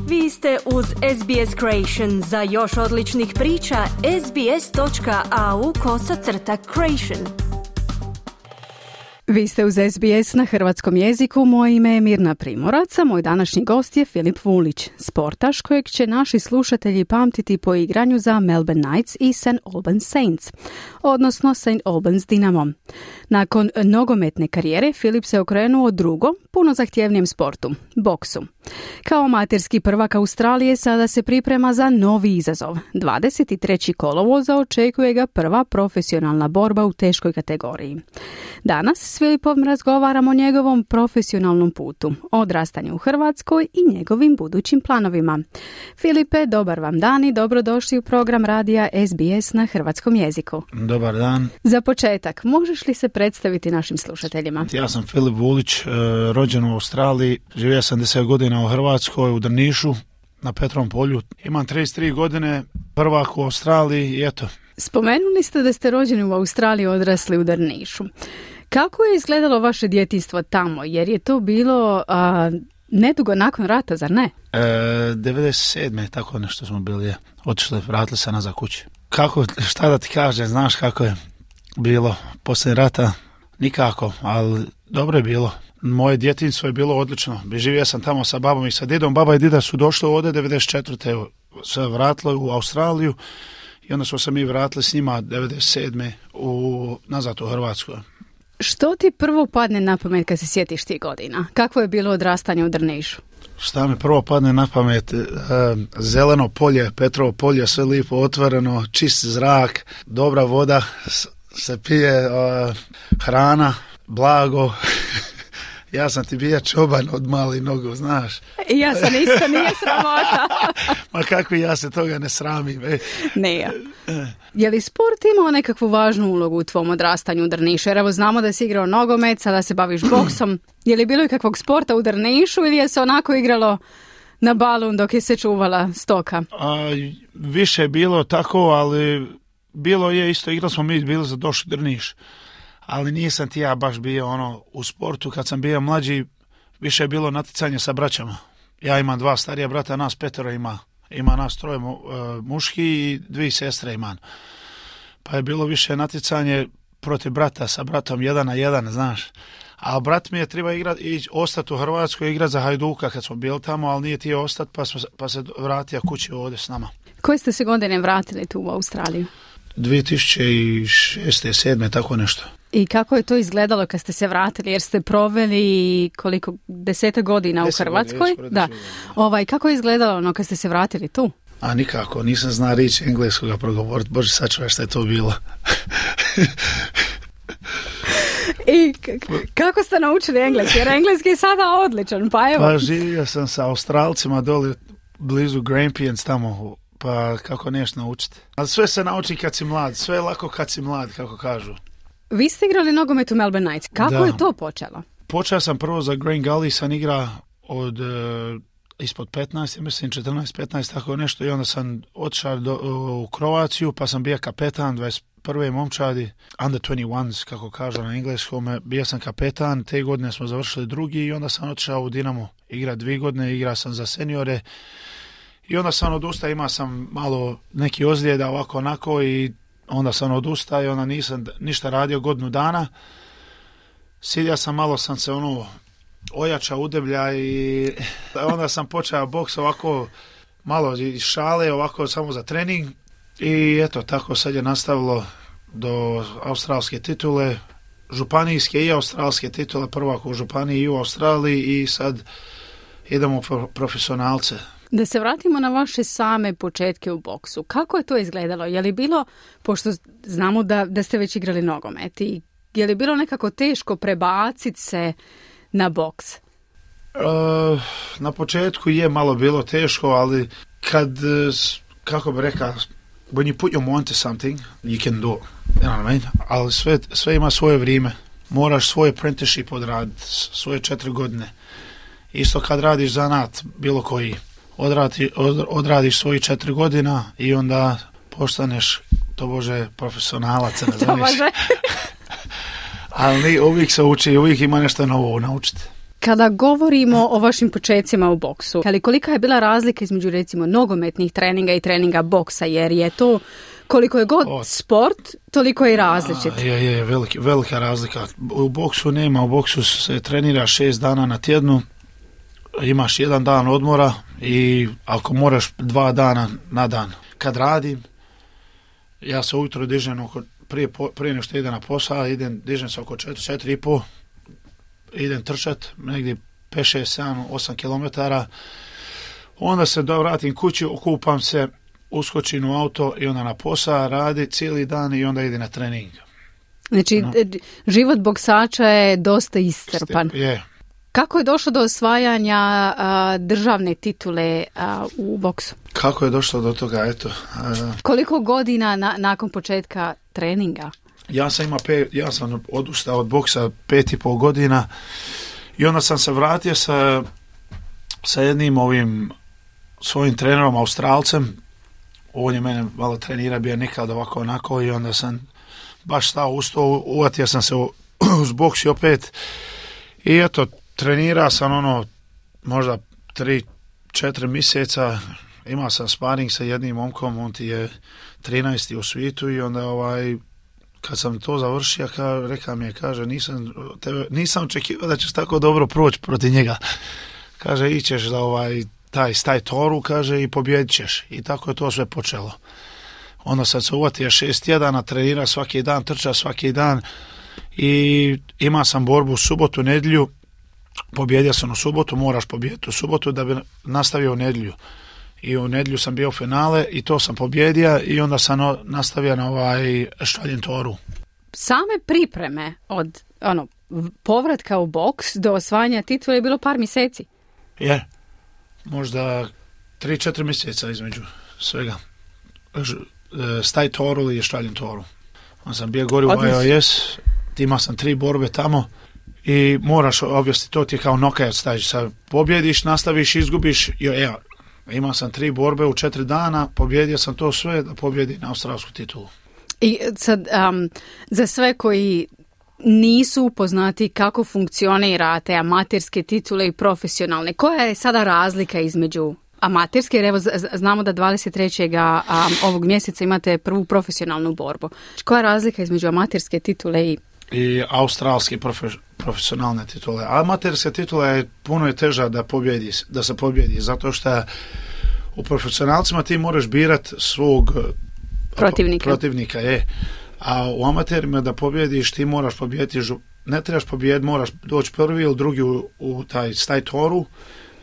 Vi ste uz SBS Creation. Za još odličnih priča, sbs.au/creation. Vi ste uz SBS na hrvatskom jeziku. Moje ime je Mirna Primorac, a moj današnji gost je Filip Vulić, sportaš kojeg će naši slušatelji pamtiti po igranju za Melbourne Knights i St. Albans Saints, odnosno St. Albans Dinamo. Nakon nogometne karijere, Filip se okrenuo drugom, puno zahtjevnijem sportu, boksu. Kao amaterski prvak Australije sada se priprema za novi izazov. 23. kolovoza očekuje ga prva profesionalna borba u teškoj kategoriji. Danas s Filipom razgovaramo o njegovom profesionalnom putu, odrastanju u Hrvatskoj i njegovim budućim planovima. Filipe, dobar vam dan i dobrodošli u program radija SBS na hrvatskom jeziku. Dobar dan. Za početak, možeš li se predstaviti našim slušateljima? Ja sam Filip Vulić, rođen u Australiji, živio sam 10 godina u Hrvatskoj, u Drnišu, na Petrovom polju. Imam 33 godine, prvak u Australiji i eto. Spomenuli ste da ste rođeni u Australiji, odrasli u Drnišu. Kako je izgledalo vaše djetinjstvo tamo? Jer je to bilo nedugo nakon rata, zar ne? 97. tako nešto smo bili. Otišli, vratili se nazad kući. Kako, šta da ti kažem, znaš kako je bilo poslije rata? Nikako, ali dobro je bilo. Moje djetinjstvo je bilo odlično. Živio sam tamo sa babom i sa didom. Baba i dida su došli ovdje 94. se vratili u Australiju i onda smo se mi vratili s njima 97. nazad u Hrvatsku. Što ti prvo padne na pamet kad se sjetiš tih godina? Kakvo je bilo odrastanje u Drnišu? Šta mi prvo padne na pamet? Zeleno polje, Petrovo polje, sve lijepo otvoreno, čist zrak, dobra voda, se pije, hrana, blago. Ja sam ti bija čoban od malih nogu, znaš. I ja sam isto, nije sramota. Ma kako ja se toga ne sramim. Nije. Je li sport imao nekakvu važnu ulogu u tvom odrastanju u Drnišu? Jer evo znamo da si igrao nogomet, sada se baviš boksom. Je li bilo ikakvog sporta u Drnišu ili je se onako igralo na balun dok je se čuvala stoka? Više je bilo tako, ali bilo je isto, igrali smo mi, bili za došli Drniš. Ali nisam ti ja baš bio u sportu. Kad sam bio mlađi, više je bilo natjecanje sa braćama. Ja imam 2 starija brata, nas 5 ima nas 3 muški i 2 sestre imam. Pa je bilo više natjecanje protiv brata, sa bratom 1 na 1, znaš. A brat mi je treba ostati u Hrvatskoj, igrati za Hajduka kad smo bili tamo, ali nije ti ostati, pa se vratio kući ovdje s nama. Koje ste se godine vratili tu u Australiju? 2006. 2007. tako nešto. I kako je to izgledalo kad ste se vratili? Jer ste proveli 10 godina u Hrvatskoj. Da. Kako je izgledalo kad ste se vratili tu? A nikako, nisam zna riječ engleskoga progovoriti. Bože, sačuvaj šta je to bilo. I kako ste naučili engleski? Jer engleski je sada odličan, pa evo. Pa živio sam sa Australcima doli blizu Grampians tamo, pa kako neš naučiti. Ali sve se nauči kad si mlad, sve je lako kad si mlad, kako kažu. Vi ste igrali nogomet u Melbourne Knights. Kako je to počelo? Počeo sam prvo za Green Gully, sam igra od ispod 15, ja mislim 14-15, tako nešto, i onda sam otišao u Kroaciju, pa sam bio kapetan 21. momčadi, under 21, kako kažu na engleskom, bio sam kapetan, te godine smo završili drugi i onda sam otišao u Dinamo, igra 2 godine, igra sam za seniore i onda sam odustao, imao sam malo neki ozljeda ovako onako i onda sam odustao i onda nisam ništa radio godinu dana. Sidio sam, malo sam se ojačao udeblja i onda sam počeo boks ovako malo iz šale, ovako samo za trening i eto, tako sad je nastavilo do australske titule, županijske i australske titule, prvak u županiji i u Australiji i sad idemo profesionalce. Da se vratimo na vaše same početke u boksu. Kako je to izgledalo? Je li bilo, pošto znamo da ste već igrali nogomet, i je li bilo nekako teško prebaciti se na boks? Na početku je malo bilo teško, ali kad, kako bi rekao, when you put your mind to something, you can do it. You know what I mean? Ali sve ima svoje vrijeme. Moraš svoj apprenticeship odraditi, svoje 4 godine. Isto kad radiš zanat, bilo koji. Odradiš svoji 4 godina i onda postaneš, to bože, profesionalac. To bože. Ali uvijek se uči, uvijek ima nešto novo naučiti. Kada govorimo o vašim počecima u boksu, ali kolika je bila razlika između recimo nogometnih treninga i treninga boksa, jer je to koliko je god sport, toliko je i različit. Je, velika razlika. U boksu nema, u boksu se trenira 6 dana na tjednu, imaš 1 dan odmora i ako moraš 2 dana na dan. Kad radim, ja se ujutro dižem prije nešto idem na posao, dižem se oko 4,5, idem trčat, negdje 5, 6, 7, 8 kilometara, onda se vratim kući, okupam se, uskočim u auto i onda na posao, radi cijeli dan i onda ide na trening. Znači, život boksača je dosta iscrpan. Je. Kako je došlo do osvajanja državne titule u boksu? Kako je došlo do toga, eto. Koliko godina nakon početka treninga? Ja sam odustao od boksa 5,5 godina i onda sam se vratio sa jednim svojim trenerom, Australcem. On je mene malo trenira, bio nekad ovako onako i onda sam baš stao uz to, uvatio sam se uz boks i opet i eto, trenirao sam možda 3-4 mjeseca, imao sam sparing sa jednim momkom, on ti je 13. u svijetu i onda kad sam to završio, rekao mi je, kaže, nisam očekivao da ćeš tako dobro proći protiv njega. Kaže, ićeš za taj toru, kaže, i pobjedit ćeš. I tako je to sve počelo. Onda sam se uvatio 6 tjedana, trenira svaki dan, trča svaki dan i imao sam borbu u subotu, nedjelju. Pobjedio sam u subotu, moraš pobijediti u subotu da bi nastavio u nedjelju. I u nedjelju sam bio u finale i to sam pobjedio i onda sam nastavio na Australian toru. Same pripreme od povratka u boks do osvajanja titula je bilo par mjeseci. Je, možda 3-4 mjeseca između svega. Staj toru i Australian toru. Onda sam bio gori u IOS, imao sam 3 borbe tamo i moraš, obvijesti, to ti je kao knockout stage. Sad pobjediš, nastaviš, izgubiš, imao sam 3 borbe u 4 dana, pobjedio sam to sve da pobjedim na australsku titulu. I sad, za sve koji nisu upoznati kako funkcionira te amaterske titule i profesionalne, koja je sada razlika između amaterske, jer evo znamo da 23. ovog mjeseca imate prvu profesionalnu borbu. Koja je razlika između amaterske titule i australske profesionalne titule? Amaterska titula je puno teža da se pobjedi, zato što u profesionalcima ti moraš birati svog protivnika je. A u amaterima da pobjediš, ti moraš pobjediti, ne trebaš pobjediti, moraš doći prvi ili drugi u taj toru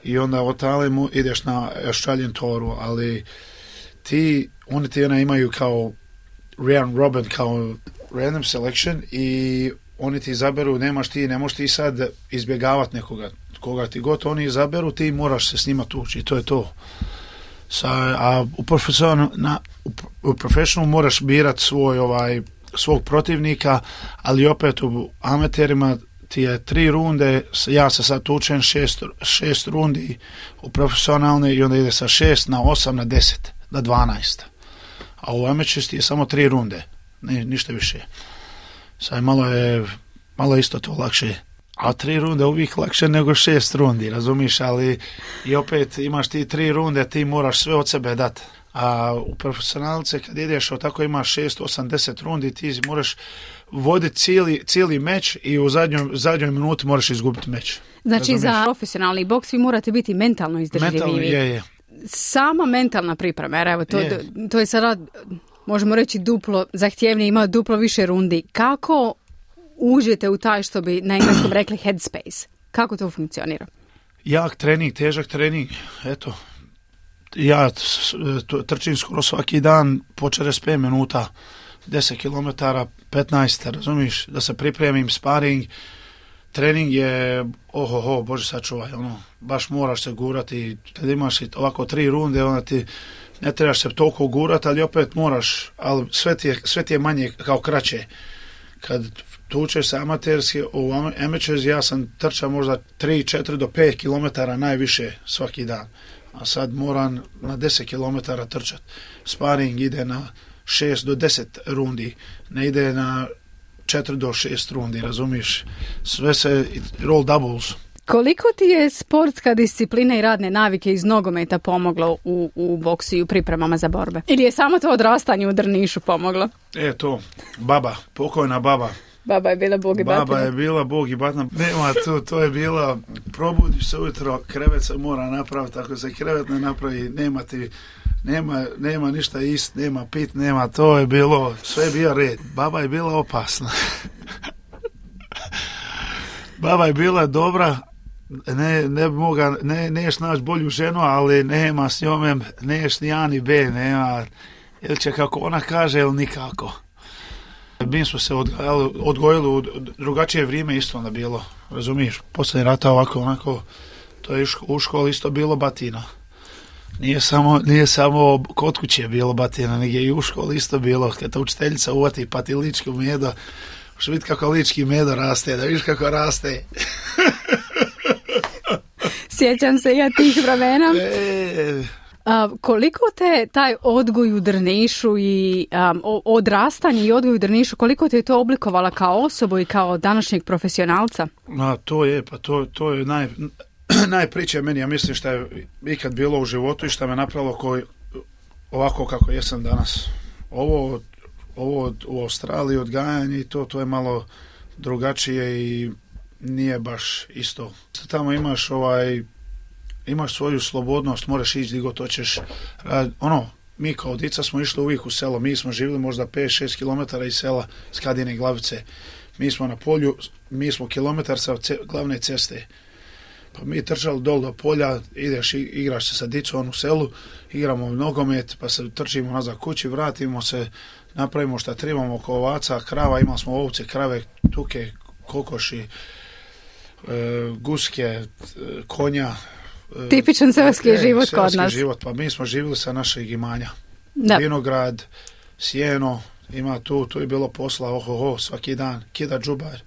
i onda od tale ideš na Australian toru, ali oni ti imaju kao round robin, kao random selection i oni ti izaberu, ne možeš ti sad izbjegavati nekoga, koga ti god oni izaberu, ti moraš se s njima tući i to je to. A u profesionalu moraš birati svog protivnika, ali opet u amaterima ti je 3 runde, ja se sad tučem 6 rundi u profesionalne i onda ide sa 6 na 8 na 10 na 12. A u amateurs ti je samo 3 runde, ništa više. Sad malo isto to lakše. A 3 runde uvijek lakše nego 6 rundi, razumiš, ali i opet imaš ti 3 runde, ti moraš sve od sebe dati. A u profesionalce kad ideš tako imaš 6, 8, 10 rundi, ti moraš voditi cijeli meč i u zadnjoj minuti moraš izgubiti meč. Znači razumiš? Za profesionalni boks vi morate biti mentalno izdržljivi. Mentalno, je. Sama mentalna priprema, jer evo, to je sada, možemo reći, duplo zahtjevnije, ima duplo više rundi. Kako uđete u taj, što bi na engleskom rekli, headspace? Kako to funkcionira? Jak trening, težak trening, eto. Ja trčim skoro svaki dan po 45 minuta, 10 km, 15, razumiš, da se pripremim, sparing. Trening je, Bože sačuvaj, baš moraš se gurati. Kad imaš ovako 3 runde, onda ti ne trebaš se toliko gurati, ali opet moraš, ali sve ti je manje kao kraće. Kad tučeš se amaterski, u amateurs ja sam trčao možda 3, 4 do 5 km najviše svaki dan. A sad moram na 10 km trčati. Sparing ide na 6 do 10 rundi, ne ide na 4 do 6 rundi, razumiš? Sve se roll doubles. Koliko ti je sportska disciplina i radne navike iz nogometa pomoglo u boksu i u pripremama za borbe? Ili je samo to odrastanje u Drnišu pomoglo? To, baba, pokojna baba. Baba je bila bog i batina. Baba je bila bog i batina. Nema to je bila, probudiš se ujutro, krevet se mora napraviti, ako se krevet ne napravi, nema ništa ist, nema pit, nema, to je bilo, sve je bio red. Baba je bila opasna. Baba je bila dobra, neš naći bolju ženu, ali nema s njome, neš ni A ni B, nema, ili će kako ona kaže, ili nikako. Mi smo se odgojili u drugačije vrijeme, isto onda bilo, razumiješ? Poslije rata onako, to je u školi isto bilo batina. Nije samo kod kuće bilo batina, nego je i u školi isto bilo. Kad ta učiteljica uvati pa ti lički medo, možeš vidjeti kako lički medo raste, da vidiš kako raste. Sjećam se ja tih vremena. Koliko te taj odgoj u Drnišu i odrastanje i odgoj u Drnišu, koliko te je to oblikovala kao osobu i kao današnjeg profesionalca? To je najpriče meni, ja mislim što je ikad bilo u životu i što me napravilo ovako kako jesam danas. Ovo u Australiji odgajanje i to je malo drugačije i nije baš isto. Tamo imaš svoju slobodnost, moraš ići gdje god hoćeš. Mi kao dica smo išli uvijek u selo, mi smo živjeli možda 5-6 km iz sela, iz Kadine Glavice. Mi smo na polju, mi smo kilometar sa glavne ceste. Pa mi trčali dol do polja, ideš, igraš se sa dicom u selu, igramo nogomet, pa se trčimo nazad kući, vratimo se, napravimo šta trebamo oko ovaca, krava, imali smo ovce, krave, tuke, kokoši, guske, konja. Tipičan selski život kod nas. Selski život, pa mi smo živjeli sa našeg imanja. Da. Vinograd, sjeno, ima tu je bilo posla, svaki dan, kida džubar.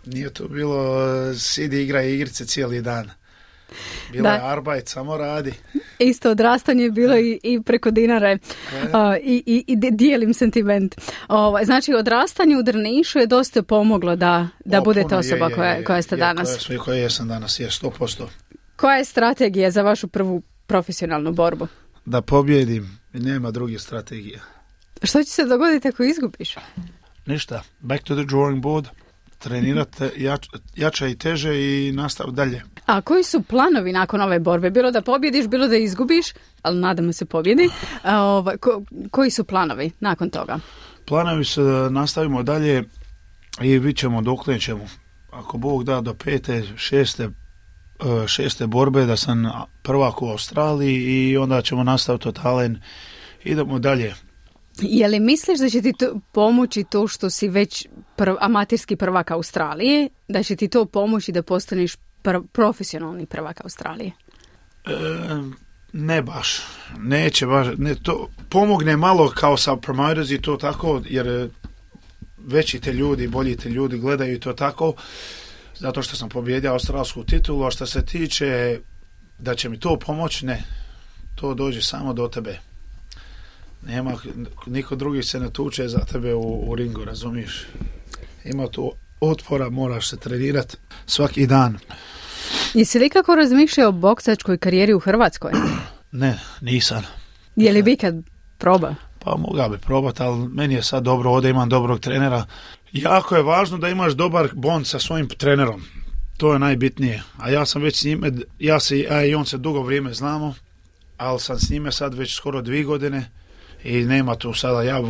Nije to bilo sidi igra igrice cijeli dan. Bilo je arbajt, samo radi. Isto odrastanje je bilo i preko dinare. I dijelim sentiment. Znači, odrastanje u Drnišu je dosta pomoglo da budete osoba koja ste danas. Koja jesam danas, je 100%. Koja je strategija za vašu prvu profesionalnu borbu? Da pobjedim, nema druge strategije. Što će se dogoditi ako izgubiš? Ništa, back to the drawing board. Trenirate jače i teže i nastav dalje. A koji su planovi nakon ove borbe? Bilo da pobjediš, bilo da izgubiš, ali nadamo se pobjedi. Koji su planovi nakon toga? Planovi su da nastavimo dalje i vidjet ćemo dokle ćemo. Ako Bog da do 5. 6. borbe da sam prvak u Australiji i onda ćemo nastaviti totalen. Idemo dalje. Je li misliš da će ti to pomoći to što si već amaterski prvak Australije, da će ti to pomoći da postaneš profesionalni prvak Australije? Ne baš. Neće baš. To pomogne malo kao sa promoters i to tako, jer veći te ljudi, bolji te ljudi gledaju to tako, zato što sam pobjedio australsku titulu, a što se tiče da će mi to pomoći, ne. To dođe samo do tebe. Nema, niko drugi se ne tuče za tebe u ringu, razumiješ? Ima tu otpora, moraš se trenirati svaki dan. Jesi li kako razmišljao o boksačkoj karijeri u Hrvatskoj? Ne, nisam. Je li bi kad proba? Pa mogao bi probati, ali meni je sad dobro ovdje, imam dobrog trenera. Jako je važno da imaš dobar bond sa svojim trenerom. To je najbitnije. A ja sam već s njime, ja i on se dugo vrijeme znamo, ali sam s njime sad već skoro 2 godine i nema tu sada, ja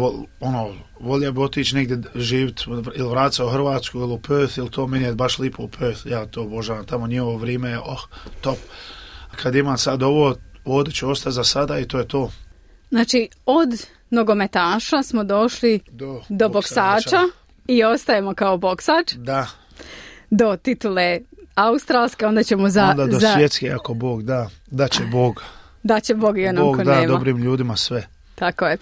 volio bi otići negdje živjeti ili vratiti se u Hrvatsku ili u Perth, ili to meni je baš lipo u Perth, ja to obožavam, tamo njihovo vrijeme je top. Kad imam sad ovo, ovdje ću ostati za sada i to je to. Znači, od nogometaša smo došli do boksača i ostajemo kao boksač. Da. Do titule australske, onda ćemo onda do svjetske, ako Bog da, da će Bog. Da će Bog i onom ko nema. Bog da dobrim ljudima sve. Tako je.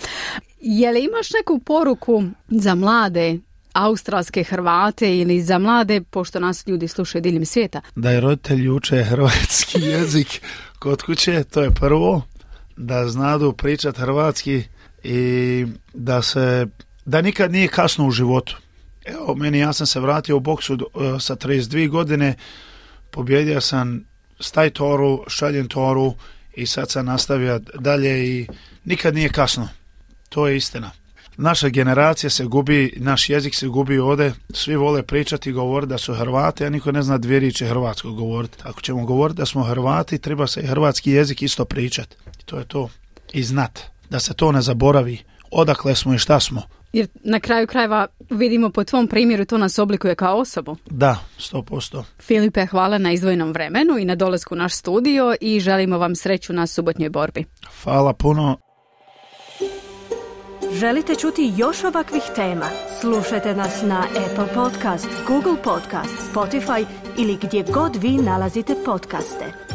Je li imaš neku poruku za mlade australske Hrvate ili za mlade, pošto nas ljudi slušaju diljem svijeta? Da je roditelji uče hrvatski jezik kod kuće, to je prvo. Da znadu pričati hrvatski i da nikad nije kasno u životu. Evo, ja sam se vratio u boksu sa 32 godine, pobjedio sam staj toru, šaljem toru i sad sam nastavio dalje i nikad nije kasno. To je istina. Naša generacija se gubi, naš jezik se gubi ovdje, svi vole pričati i govoriti da su Hrvati, a niko ne zna dvije riječi hrvatsko govoriti. Ako ćemo govoriti da smo Hrvati, treba se i hrvatski jezik isto pričati. I to je to. I znat, da se to ne zaboravi. Odakle smo i šta smo. Jer na kraju krajeva vidimo po tvom primjeru to nas oblikuje kao osobu. Da, 100%. Filipe, hvala na izdvojenom vremenu i na dolasku u naš studio i želimo vam sreću na subotnjoj borbi. Hvala puno. Želite čuti još ovakvih tema? Slušajte nas na Apple Podcast, Google Podcast, Spotify ili gdje god vi nalazite podcaste.